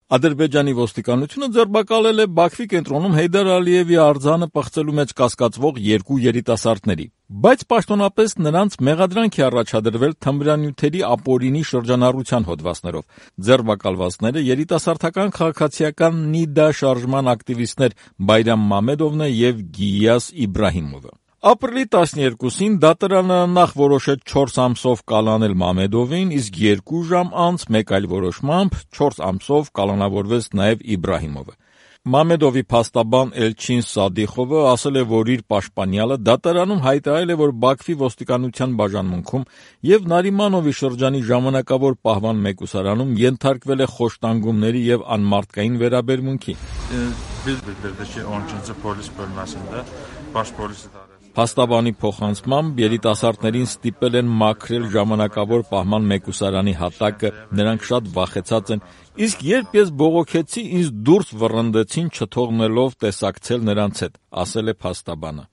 Ադրբեջանի ոստիկանությունը ձերբակալել է Բաքվի կենտրոնում Հեյդար Ալիևի արձանը պղծելու մեջ կասկածվող 2 երիտասարդների, բայց պաշտոնապես նրանց մեղադրանք է առաջադրվել թմրանյութերի ապօրինի շրջանառության հոդվածներով։ Ձերբակալվածները երիտասարդական քաղաքացիական ՆԻԴԱ շարժման ակտիվիստներ Բայրամ Մամեդովն եւ Գիյաս Իբրահիմովը։ Ապրիլի 12-ին դատարանը նախ որոշեց 4 ամսով կալանել Մամեդովին, իսկ 2 ժամ անց մեկ այլ որոշմամբ 4 ամսով կալանավորվեց նաև Իբրահիմովը։ Մամեդովի փաստաբան Էլչին Սադիխովը ասել է, որ իր պաշտպանյալը դատարանում հայտարարել է, որ Բաքվի ոստիկանության բաժանմունքում եւ Նարիմանովի շրջանի ժամանակավոր պահման մեկուսարանում ենթարկվել է խոշտանգումների եւ անմարդկային վերաբերմունքի։ Փաստաբանի փոխանցմամբ երիտասարդներին ստիպել են մաքրել ժամանակավոր պահման մեկուսարանի հատակը, նրանք շատ վախեցած են, իսկ երբ ես բողոքեցի, ինձ դուրս վռնդեցին չթողնելով տեսակցել նրանց հետ, ասել է փաստաբանը։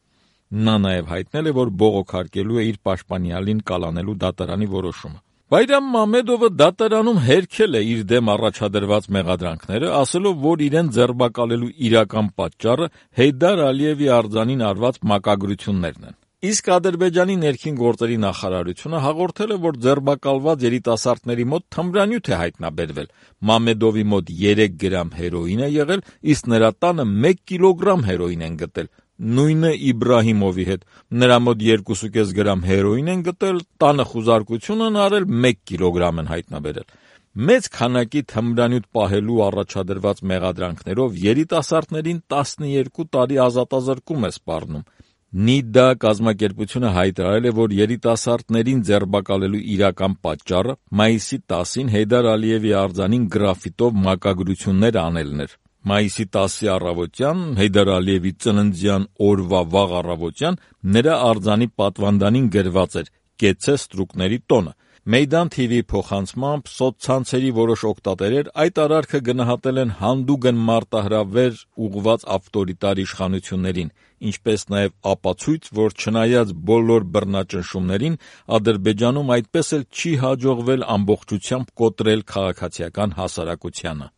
Նա նաև հայտնել է, որ բողոքարկելու է իր պաշտպանյալին կալանելու դատարանի որոշումը։ Բայրամ Մամեդովը դատարանում հերքել է իր դեմ առաջադրված մեղադրանքները, ասելով, որ իրեն ձերբակալելու իրական պատճառը Հեյդար Ալիևի արձանին արված մակագրություններն են։ Իսկ Ադրբեջանի ներքին գործերի նախարարությունը հաղորդել է, որ ձերբակալված երիտասարդների մոտ թմրանյութ է հայտնաբերվել։ Մամեդովի մոտ 3 գրամ հերոին է եղել, իսկ նրա տանը 1 կիլոգրամ հերոին են գտել։ Նույնը Իբրահիմովի հետ, նրա մոտ 2,5 գրամ հերոին են գտել, տանը խուզարկություն են արել, 1 կիլոգրամ են հայտնաբերել։ Մեծ քանակի թմրանյութ պահելու առաջադրված մեղադրանքներով երիտասարդներին 12 տարի ազատազրկում է սպառնում։ ՆԻԴԱ կազմակերպությունը հայտարարել է, որ երիտասարդներին ձերբակալելու իրական պատճառը մայիսի 10-ին Հեյդար Ալիևի արձանին գրաֆիտով մակագրություններ անելն էր։ Մայիսի 10-ի առավոտյան, Հեյդար Ալիևի ծննդյան օրվա վաղ առավոտյան, նրա արձանի պատվանդանին գրված էր «Կեցցե ստրուկների տոնը»։ Մեյդան TV-ի փոխանցմամբ սոցցանցերի որոշ օգտատերեր այդ արարքը գնահատել են հանդուգն մարտահրավեր ուղղված ավտորիտար իշխանություններին, ինչպես նաև ապացույց, որ չնայած բոլոր բռնաճնշումներին, Ադրբեջանում այդպես էլ չի հաջողվել ամբողջությամբ կոտրել քաղաքացիական հասարակությանը։